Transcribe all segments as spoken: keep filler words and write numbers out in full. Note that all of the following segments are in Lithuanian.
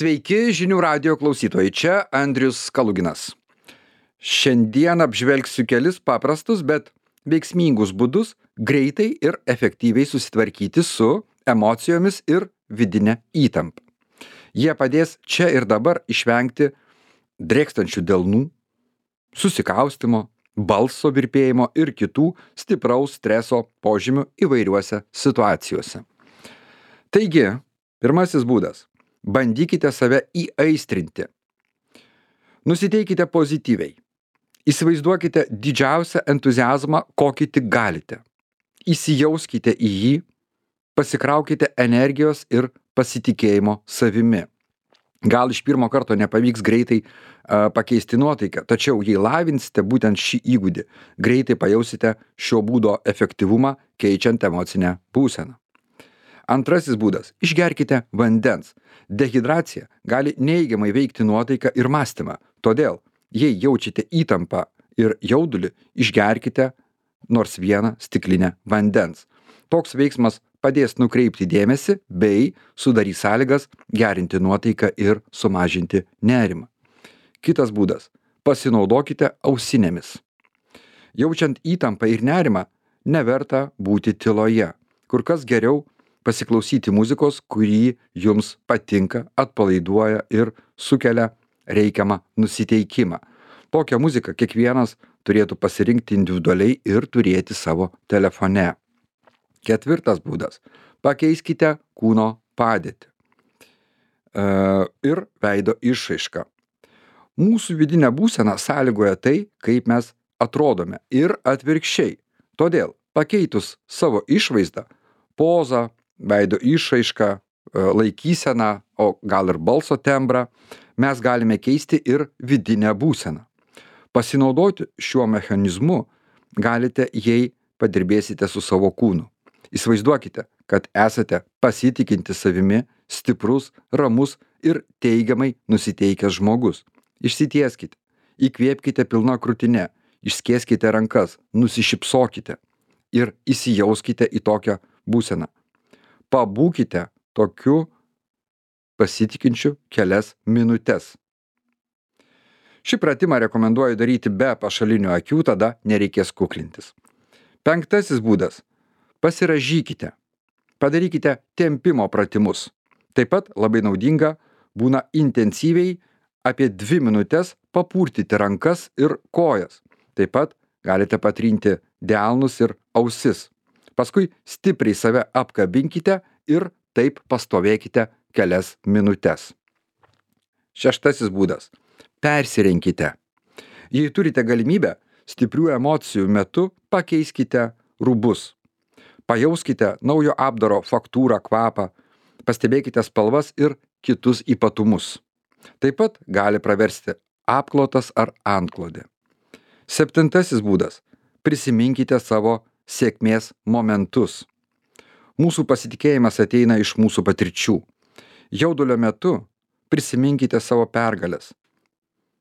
Sveiki žinių radijo klausytojai, čia Andrius Kaluginas. Šiandien apžvelgsiu kelis paprastus, bet veiksmingus būdus greitai ir efektyviai susitvarkyti su emocijomis ir vidinė įtampa. Jie padės čia ir dabar išvengti drėkstančių delnų, susikaustimo, balso virpėjimo ir kitų stipraus streso požymių įvairiuose situacijose. Taigi, pirmasis būdas. Bandykite save įaistrinti. Nusiteikite pozityviai. Įsivaizduokite didžiausią entuziazmą, kokį tik galite. Įsijauskite į jį, pasikraukite energijos ir pasitikėjimo savimi. Gal iš pirmo karto nepavyks greitai uh, pakeisti nuotaiką, tačiau jei lavinsite būtent šį įgūdį, greitai pajausite šio būdo efektyvumą, keičiant emocinę būseną. Antrasis būdas – išgerkite vandens. Dehidracija gali neigiamai veikti nuotaiką ir mąstymą. Todėl, jei jaučiate įtampą ir jaudulį, išgerkite nors vieną stiklinę vandens. Toks veiksmas padės nukreipti dėmesį bei sudarys sąlygas gerinti nuotaiką ir sumažinti nerimą. Kitas būdas – pasinaudokite ausinėmis. Jaučiant įtampą ir nerimą, neverta būti tyloje. Kur kas geriau pasiklausyti muzikos, kurį jums patinka, atpalaiduoja ir sukelia reikiamą nusiteikimą. Tokią muziką kiekvienas turėtų pasirinkti individualiai ir turėti savo telefone. Ketvirtas būdas – pakeiskite kūno padėtį e, ir veido išraišką. Mūsų vidinė būsena sąlygoja tai, kaip mes atrodome ir atvirkščiai. Todėl pakeitus savo išvaizdą, pozą, veido išraišką, laikyseną, o gal ir balso tembrą, mes galime keisti ir vidinę būseną. Pasinaudoti šiuo mechanizmu galite, jei padirbėsite su savo kūnu. Įsivaizduokite, kad esate pasitikinti savimi, stiprus, ramus ir teigiamai nusiteikęs žmogus. Išsitieskite, įkvėpkite pilna krūtine, išskėskite rankas, nusišypsokite ir įsijauskite į tokią būseną. Pabūkite tokiu pasitikinčiu kelias minutes. Šį pratimą rekomenduoju daryti be pašalinių akių, tada nereikės kuklintis. Penktasis būdas – pasirąžykite. Padarykite tempimo pratimus. Taip pat labai naudinga būna intensyviai apie dvi minutes papurtyti rankas ir kojas. Taip pat galite patrinti delnus ir ausis. Paskui stipriai save apkabinkite ir taip pastovėkite kelias minutes. Šeštasis būdas – persirenkite. Jei turite galimybę, stiprių emocijų metu pakeiskite rūbus. Pajauskite naujo apdaro faktūrą, kvapą, pastebėkite spalvas ir kitus ypatumus. Taip pat gali praversti apklotas ar antklodė. Septintasis būdas – prisiminkite savo sėkmės momentus. Mūsų pasitikėjimas ateina iš mūsų patirčių. Jaudulio metu prisiminkite savo pergales,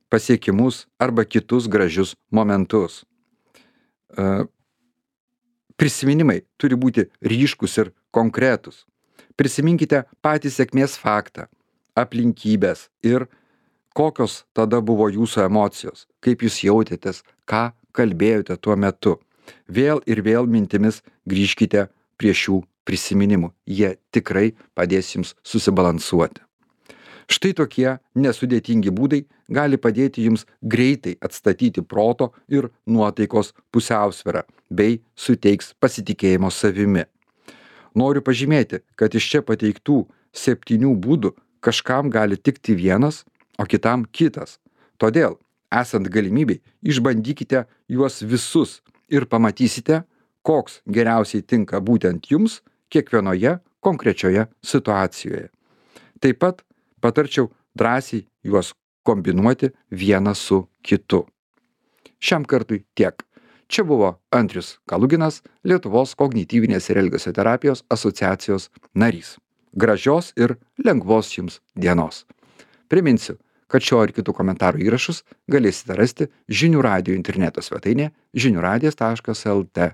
pasiekimus arba kitus gražius momentus. Prisiminimai turi būti ryškus ir konkretus. Prisiminkite patį sėkmės faktą, aplinkybės ir kokios tada buvo jūsų emocijos, kaip jūs jautėtės, ką kalbėjote tuo metu. Vėl ir vėl mintimis grįžkite prie šių prisiminimų. Jie tikrai padės jums susibalansuoti. Štai tokie nesudėtingi būdai gali padėti jums greitai atstatyti proto ir nuotaikos pusiausvyrą bei suteiks pasitikėjimo savimi. Noriu pažymėti, kad iš čia pateiktų septynių būdų kažkam gali tikti vienas, o kitam kitas. Todėl, esant galimybei, išbandykite juos visus ir pamatysite, koks geriausiai tinka būtent jums kiekvienoje konkrečioje situacijoje. Taip pat patarčiau drąsiai juos kombinuoti vieną su kitu. Šiam kartui tiek. Čia buvo Andrius Kaluginas, Lietuvos kognityvinės ir elgesio terapijos asociacijos narys. Gražios ir lengvos jums dienos. Priminsiu, kad šio ir kitų komentarų įrašus galėsite rasti Žinių radijo interneto svetainėje žinių radijas taškas el tė.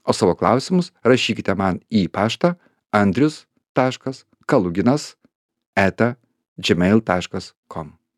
O savo klausimus rašykite man į paštą andrius taškas kaluginas eta gmail taškas com.